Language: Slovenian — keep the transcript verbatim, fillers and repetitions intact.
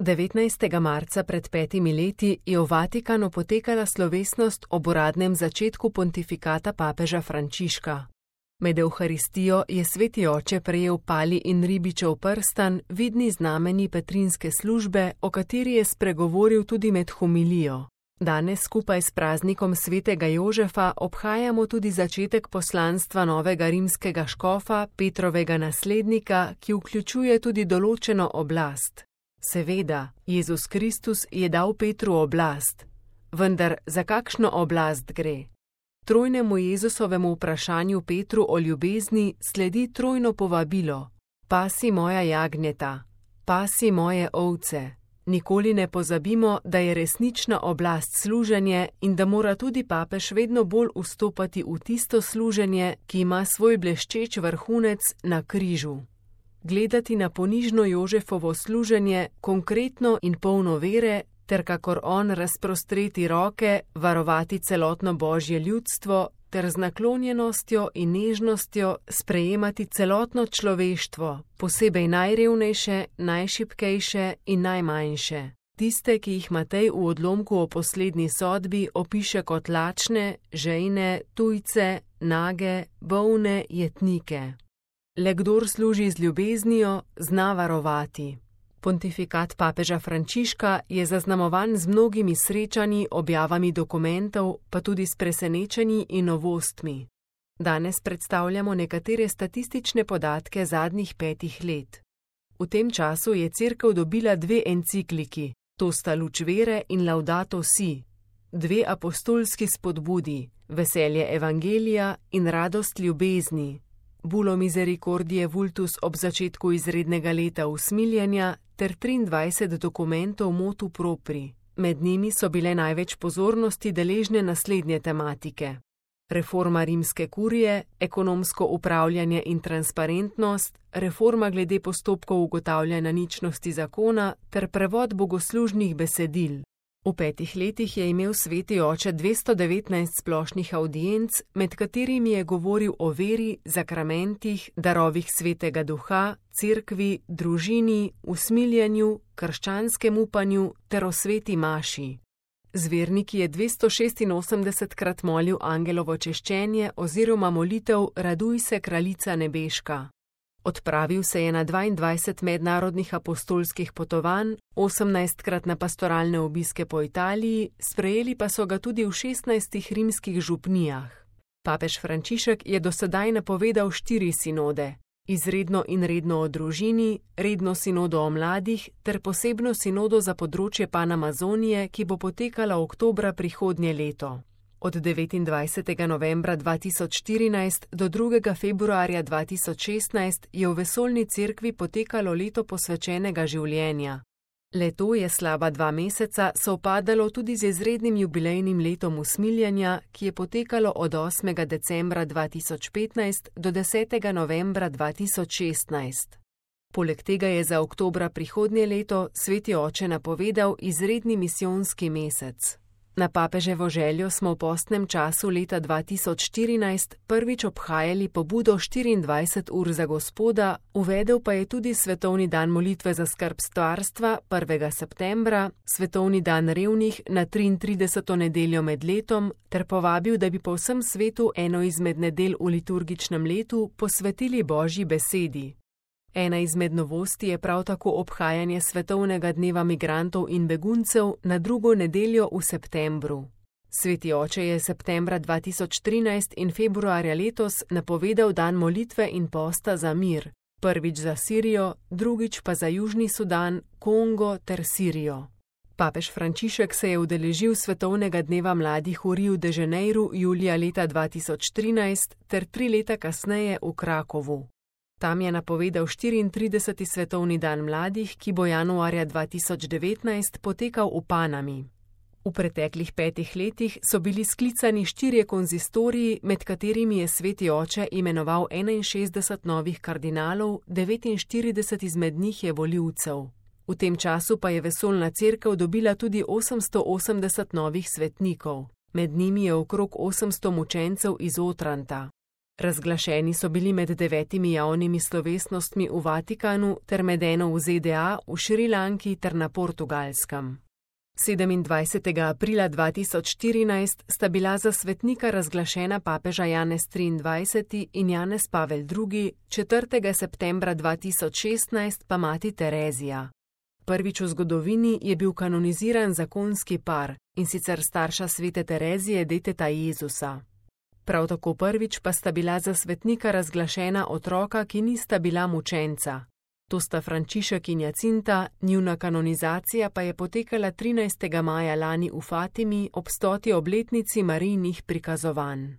devetnajstega marca pred petimi leti je v Vatikanu potekala slovesnost ob uradnem začetku pontifikata papeža Frančiška. Med evharistijo je sveti oče prejel pali in ribičev prstan, vidni znameni petrinske službe, o kateri je spregovoril tudi med homilijo. Danes skupaj s praznikom svetega Jožefa obhajamo tudi začetek poslanstva novega rimskega škofa, Petrovega naslednika, ki vključuje tudi določeno oblast. Seveda, Jezus Kristus je dal Petru oblast, vendar za kakšno oblast gre? Trojnemu Jezusovemu vprašanju Petru o ljubezni sledi trojno povabilo: pasi moja jagnjeta, pasi moje ovce. Nikoli ne pozabimo, da je resnična oblast služenje in da mora tudi papež vedno bolj vstopati v tisto služenje, ki ima svoj bleščeč vrhunec na križu. Gledati na ponižno Jožefovo služenje, konkretno in polno vere, ter kakor on razprostreti roke, varovati celotno Božje ljudstvo, ter z naklonjenostjo in nežnostjo sprejemati celotno človeštvo, posebej najrevnejše, najšibkejše in najmanjše. Tiste, ki jih Matej v odlomku o poslednji sodbi opiše kot lačne, žejne, tujce, nage, bolne, jetnike. Le kdor služi z ljubeznijo, zna varovati. Pontifikat papeža Frančiška je zaznamovan z mnogimi srečanji, objavami dokumentov, pa tudi s presenečenji in novostmi. Danes predstavljamo nekatere statistične podatke zadnjih petih let. V tem času je Cerkev dobila dve encikliki, to sta Luč vere in Laudato si, dve apostolski spodbudi, Veselje evangelija in Radost ljubezni, Bulo Misericordiae Vultus ob začetku izrednega leta usmiljenja ter triindvajset dokumentov motu propri. Med njimi so bile največ pozornosti deležne naslednje tematike: reforma rimske kurije, ekonomsko upravljanje in transparentnost, reforma glede postopkov ugotavljanja ničnosti zakona ter prevod bogoslužnih besedil. V petih letih je imel sveti oče dvesto devetnajst splošnih avdienc, med katerimi je govoril o veri, zakramentih, darovih svetega duha, cerkvi, družini, usmiljenju, krščanskem upanju ter o sveti maši. Z verniki je dvesto šestinosemdesetkrat molil angelovo češčenje oziroma molitev Raduj se, kraljica nebeška. Odpravil se je na dvaindvajset mednarodnih apostolskih potovanj, osemnajstkrat na pastoralne obiske po Italiji, sprejeli pa so ga tudi v šestnajstih rimskih župnijah. Papež Frančišek je do sedaj napovedal štiri sinode: izredno in redno o družini, redno sinodo o mladih ter posebno sinodo za področje Panamazonije, ki bo potekala oktobra prihodnje leto. Od devetindvajsetega novembra dva tisoč štirinajst do drugega februarja dva tisoč šestnajst je v vesoljni cerkvi potekalo leto posvečenega življenja. Leto je slaba dva meseca sovpadalo tudi z izrednim jubilejnim letom usmiljenja, ki je potekalo od osmega decembra dva tisoč petnajst do desetega novembra dva tisoč šestnajst. Poleg tega je za oktobra prihodnje leto sveti oče napovedal izredni misijonski mesec. Na papeževo željo smo v postnem času leta dva tisoč štirinajst prvič obhajali pobudo štiriindvajset ur za Gospoda, uvedel pa je tudi svetovni dan molitve za skrb stvarstva prvega septembra, svetovni dan revnih na triintrideseto nedeljo med letom ter povabil, da bi po vsem svetu eno izmed nedelj v liturgičnem letu posvetili Božji besedi. Ena izmed novosti je prav tako obhajanje svetovnega dneva migrantov in beguncev na drugo nedeljo v septembru. Sveti oče je septembra dva tisoč trinajst in februarja letos napovedal dan molitve in posta za mir, prvič za Sirijo, drugič pa za Južni Sudan, Kongo ter Sirijo. Papež Frančišek se je udeležil svetovnega dneva mladih v Riu de Janeiru julija leta dva tisoč trinajst ter tri leta kasneje v Krakovu. Tam je napovedal štiriintrideseti svetovni dan mladih, ki bo januarja dva tisoč devetnajst potekal v Panami. V preteklih petih letih so bili sklicani štirje konzistoriji, med katerimi je sveti oče imenoval enainšestdeset novih kardinalov, devetinštirideset izmed njih je volivcev. V tem času pa je vesoljna cerkev dobila tudi osemsto osemdeset novih svetnikov. Med njimi je okrog osemsto mučencev iz Otranta. Razglašeni so bili med devetimi javnimi slovesnostmi v Vatikanu ter med eno v Z D A, v Šrilanki ter na Portugalskem. sedemindvajsetega aprila dva tisoč štirinajst sta bila za svetnika razglašena papeža Janez triindvajseti in Janez Pavel drugi, četrtega septembra dva tisoč šestnajst pa mati Terezija. Prvič v zgodovini je bil kanoniziran zakonski par, in sicer starša svete Terezije, deteta Jezusa. Prav tako prvič pa sta bila za svetnika razglašena otroka, ki nista bila mučenca. To sta Frančišek in Jacinta, njuna kanonizacija pa je potekala trinajstega maja lani v Fatimi ob stoti obletnici Marijinih prikazovanj.